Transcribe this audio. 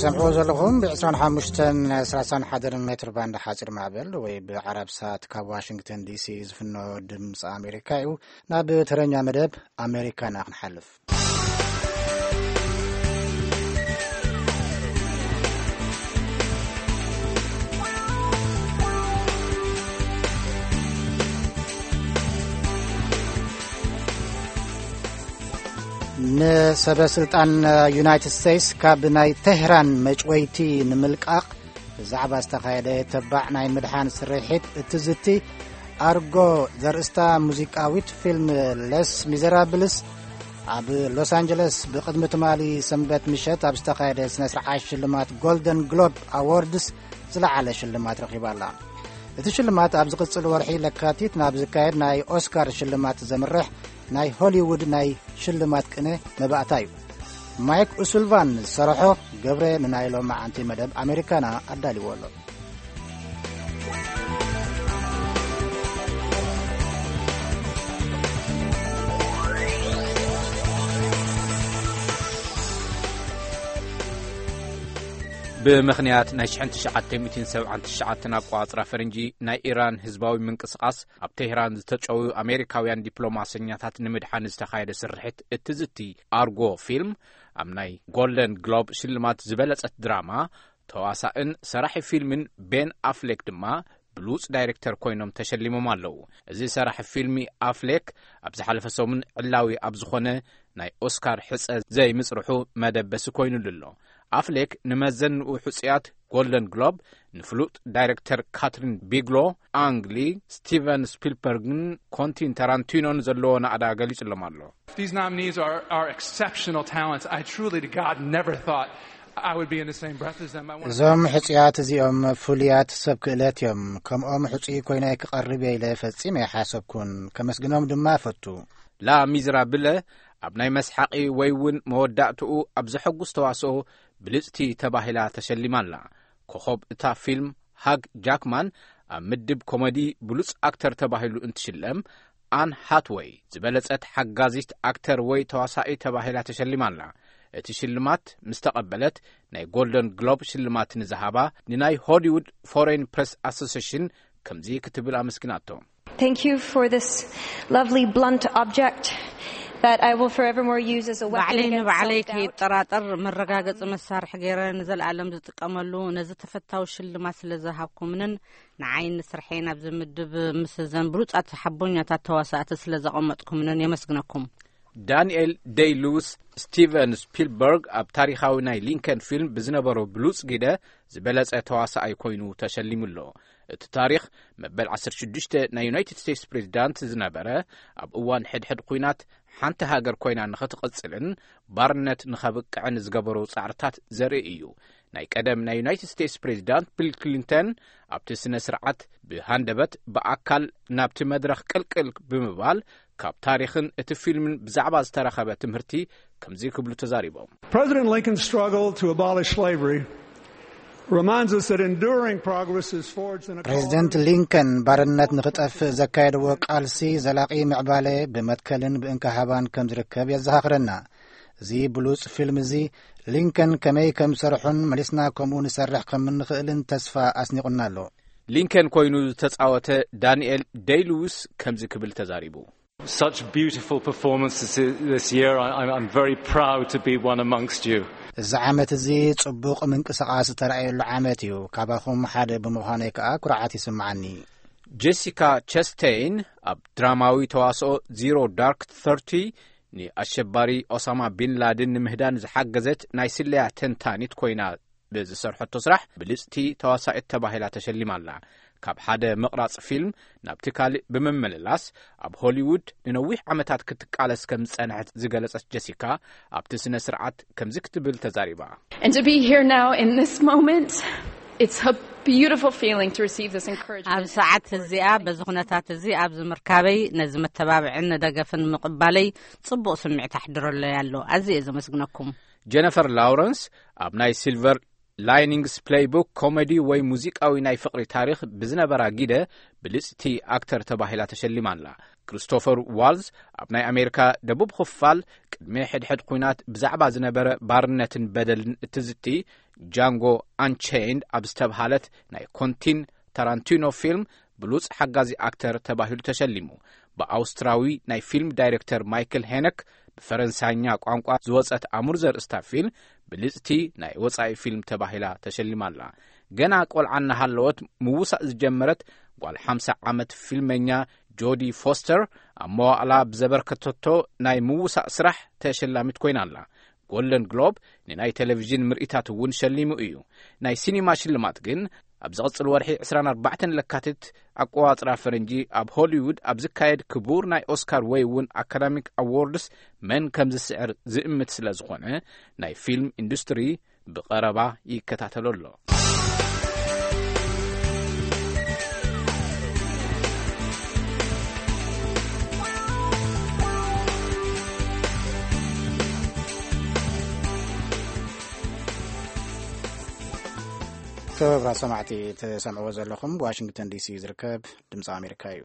ሰምዕዎ ዘለኹም ብ ዕስራን ሓሙሽተን ሰላሳን ሓደን ሜትር ባንድ ሓፂር ማዕበል ወይ ብዓረብ ሳት ካብ ዋሽንግተን ዲሲ ዝፍኖ ድምፂ ኣሜሪካ እዩ። ናብ ተረኛ መደብ ኣሜሪካና ክንሓልፍ። ንሰበ ስልጣን ዩናይትድ ስቴትስ ካብ ናይ ቴህራን መጭወይቲ ንምልቃቕ ብዛዕባ ዝተኻየደ ተባዕ ናይ ምድሓን ስርሒት እትዝቲ ኣርጎ ዘርእስታ ሙዚቃዊት ፊልም ለስ ሚዘራብልስ ኣብ ሎስ ኣንጀለስ ብቕድሚ ትማሊ ሰንበት ምሸት ኣብ ዝተኻየደ ስነ ስርዓት ሽልማት ጎልደን ግሎብ ኣዎርድስ ዝለዓለ ሽልማት ረኺባ ኣላ። እቲ ሽልማት ኣብ ዝቕጽል ወርሒ ለካቲት ናብ ዝካየድ ናይ ኦስካር ሽልማት ዘምርሕ ናይ ሆሊውድ ናይ ሽልማት ቅነ መባእታ እዩ። ማይክ ኡሱልቫን ዝሰርሖ ገብረ ንናይ ሎማዓንቲ መደብ ኣሜሪካና ኣዳልዎ ኣሎ። ብምኽንያት ናይ ሽሕን ትሽዓተ ሚእትን ሰብዓን ትሽዓተን ኣቋጽራ ፈረንጂ ናይ ኢራን ህዝባዊ ምንቅስቓስ ኣብ ቴህራን ዝተጨውዩ ኣሜሪካውያን ዲፕሎማሰኛታት ንምድሓን ዝተኻየደ ስርሒት እትዝቲ ኣርጎ ፊልም ኣብ ናይ ጎልደን ግሎብ ሽልማት ዝበለጸት ድራማ፣ ተዋሳእን ሰራሒ ፊልምን ቤን ኣፍሌክ ድማ ብሉጽ ዳይሬክተር ኮይኖም ተሸሊሞም ኣለዉ። እዚ ሰራሒ ፊልሚ ኣፍሌክ ኣብ ዝሓለፈ ሰሙን ዕላዊ ኣብ ዝኾነ ናይ ኦስካር ሕጸ ዘይምጽርሑ መደበሲ ኮይኑሉ ኣሎ። ኣፍሌክ ንመዘንኡ ሕጹያት ጎልደን ግሎብ ንፍሉጥ ዳይሬክተር ካትሪን ቢግሎ፣ ኣንግ ሊ፣ ስቲቨን ስፒልበርግን ኮንቲን ታራንቲኖን ዘለዎ ናእዳ ገሊጹሎም ኣሎ። These nominees are, are exceptional talents. I truly to God never thought I would be in the same breath as them. I want to እዞም ሕጹያት እዚኦም ፍሉያት ሰብ ክእለት እዮም። ከምኦም ሕጹይ ኮይነ ክቐርብ እየ ኢለ ፈጺመ ኣይሓሰብኩን። ከመስግኖም ድማ እፈቱ። ላ ሚዝራብለ ኣብ ናይ መስሓቒ ወይ እውን መወዳእትኡ ኣብ ዘሐጉስ ተዋስኦ ብልጽቲ ተባሂላ ተሸሊማ ኣላ። ኮኸብ እታ ፊልም ሃግ ጃክማን ኣብ ምድብ ኮመዲ ብሉጽ ኣክተር ተባሂሉ እንትሽለም፣ ኣን ሃትወይ ዝበለጸት ሓጋዚት ኣክተር ወይ ተዋሳኢ ተባሂላ ተሸሊማ ኣላ። እቲ ሽልማት ምስ ተቐበለት ናይ ጎልደን ግሎብ ሽልማት ንዝሃባ ንናይ ሆሊውድ ፎሬን ፕሬስ ኣሶሴሽን ከምዚ ክትብል ኣመስግናቶ። Thank you for this lovely blunt object that I will forevermore use as a weapon ባዕለይ against ንባዕለይ self-doubt. ከይጠራጠር መረጋገጺ መሳርሒ ገይረ ንዘለኣለም ዝጥቀመሉ ነዚ ተፈታዊ ሽልማት ስለ ዝሃብኩምንን ንዓይን ንስርሐይን ኣብዚ ምድብ ምስ እዘን ብሉጻት ሓቦኛታት ተዋሳእቲ ስለ ዘቐመጥኩምንን የመስግነኩም። ዳንኤል ደይ ሉዊስ፣ ስቲቨን ስፒልበርግ ኣብ ታሪኻዊ ናይ ሊንከን ፊልም ብዝነበሮ ብሉጽ ግደ ዝበለጸ ተዋሳኣይ ኮይኑ ተሸሊሙ ኣሎ። እቲ ታሪኽ መበል ዓሰርተ ሽዱሽተ ናይ ዩናይትድ ስቴትስ ፕሬዚዳንት ዝነበረ፣ ኣብ እዋን ሕድሕድ ኲናት ሓንቲ ሃገር ኮይና ንኽትቕጽልን ባርነት ንኸብቅዕን ዝገበሮ ጻዕርታት ዘርኢ እዩ። ናይ ቀደም ናይ ዩናይትድ ስቴትስ ፕሬዚዳንት ቢል ክሊንተን ኣብቲ ስነ ስርዓት ብሃንደበት ብኣካል ናብቲ መድረኽ ቅልቅል ብምባል ካብ ታሪኽን እቲ ፊልምን ብዛዕባ ዝተረኸበ ትምህርቲ ከምዚ ክብሉ ተዛሪቦም። President Lincoln's struggle to abolish slavery reminds us that enduring progress is forged in a ፕሬዚደንት ሊንከን ባርነት ንኽጠፍእ ዘካየድዎ ቃልሲ ዘላቒ ምዕባለ ብመትከልን ብእንካሃባን ከም ዝርከብ የዘኻኽረና። እዚ ብሉጽ ፊልም እዚ ሊንከን ከመይ ከም ዝሰርሑን መሊስና ከምኡ ንሰርሕ ከም እንኽእልን ተስፋ ኣስኒቑና ኣሎ። ሊንከን ኮይኑ ዝተጻወተ ዳንኤል ደይ ሉዊስ ከምዚ ክብል ተዛሪቡ። Such beautiful performances this year. I, I'm I'm very proud to be one amongst you. እዚ ዓመት እዚ ጽቡቕ ምንቅስቓስ ዝተራእየሉ ዓመት እዩ። ካባኹም ሓደ ብምዃነይ ከኣ ኩርዓት ይስምዓኒ። ጄሲካ ቸስቴይን ኣብ ድራማዊ ተዋስኦ ዚሮ ዳርክ ተርቲ ንኣሸባሪ ኦሳማ ቢን ላድን ንምህዳን ዝሓገዘት ናይ ስለያ ተንታኒት ኮይና ብዝሰርሐቶ ስራሕ ብልጽቲ ተዋሳኢት ተባሂላ ተሸሊማ ኣላ። ካብ ሓደ ምቕራጽ ፊልም ናብቲ ካልእ ብምምልላስ ኣብ ሆሊውድ ንነዊሕ ዓመታት ክትቃለስ ከም ዝጸንሐት ዝገለጸት ጀሲካ ኣብቲ ስነ ስርዓት ከምዚ ክትብል ተዛሪባ። And to be here now in this moment, it's a beautiful feeling to receive this encouragement. ኣብ ሰዓት እዚኣ በዚ ኩነታት እዚ ኣብዚ ምርካበይ ነዚ መተባብዕን ደገፍን ምቕባለይ ጽቡቕ ስምዒት ኣሕድረለይ ኣሎ። ኣዝየ እየ ዘመስግነኩም። ጀነፈር ላውረንስ ኣብ ናይ ሲልቨር ላይኒንግስ ፕሌይቡክ ኮሜዲ ወይ ሙዚቃዊ ናይ ፍቕሪ ታሪኽ ብዝነበራ ጊደ ብልጽቲ ኣክተር ተባሂላ ተሸሊማ ኣላ። ክሪስቶፈር ዋልዝ ኣብ ናይ ኣሜሪካ ደቡብ ክፋል ቅድሚ ሕድሕድ ኲናት ብዛዕባ ዝነበረ ባርነትን በደልን እትዝቲ ጃንጎ ኣንቼይንድ ኣብ ዝተብሃለት ናይ ኮንቲን ታራንቲኖ ፊልም ብሉጽ ሓጋዚ ኣክተር ተባሂሉ ተሸሊሙ። ብኣውስትራዊ ናይ ፊልም ዳይሬክተር ማይክል ሄነክ ብፈረንሳይኛ ቋንቋ ዝወጸት ኣሙር ዘርእስታ ፊልም ብልጽቲ ናይ ወጻኢ ፊልም ተባሂላ ተሸሊማ ኣላ። ገና ቆልዓ እናሃለወት ምውሳእ ዝጀመረት ጓል ሓምሳ ዓመት ፊልመኛ ጆዲ ፎስተር ኣብ መዋእላ ብዘበርከተቶ ናይ ምውሳእ ስራሕ ተሸላሚት ኮይና ኣላ። ጎልደን ግሎብ ንናይ ቴሌቪዥን ምርኢታት እውን ሸሊሙ እዩ። ናይ ሲኒማ ሽልማት ግን ኣብ ዝቕጽል ወርሒ ዕስራን ኣርባዕተን ለካቲት ኣቆጻጽራ ፈረንጂ ኣብ ሆሊውድ ኣብ ዝካየድ ክቡር ናይ ኦስካር ወይ እውን ኣካዳሚክ ኣዎርድስ መን ከም ዝስዕር ዝእምት ስለ ዝኾነ ናይ ፊልም ኢንዱስትሪ ብቐረባ ይከታተሎ ኣሎ። ክቡራት ሰማዕቲ፣ ትሰምዕዎ ዘለኹም ዋሽንግተን ዲሲ ዝርከብ ድምፂ ኣሜሪካ እዩ።